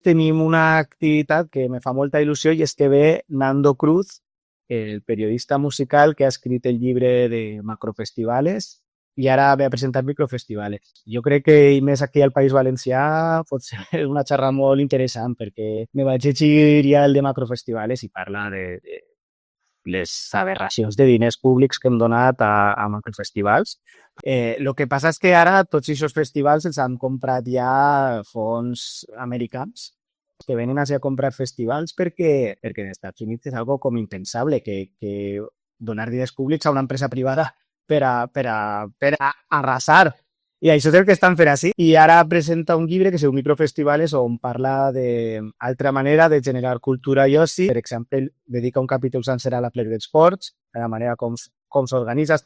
tenim una activitat que me fa molta il·lusió i és que ve Nando Cruz, el periodista musical que ha escrit el llibre de Macrofestivales i ara ve a presentar Microfestivales. Jo crec que, i més aquí al País Valencià, pot ser una xerrada molt interessant perquè me vaig llegir ja el de Macrofestivales i parla de les aberracions de diners públics que hem donat a macrofestivals. El que passa és que ara tots aquests festivals els han comprat ja fons americans que venen a comprar festivals perquè en Estats Units és algo com impensable que donar diners públics a una empresa privada per a arrasar. I això és el que estan fent així. I ara presenta un llibre que es diu Microfestivales on parla d'altra manera de generar cultura i oci. Per exemple, dedica un capítol sencer a la Play d'Esports, a la manera com s'organitza.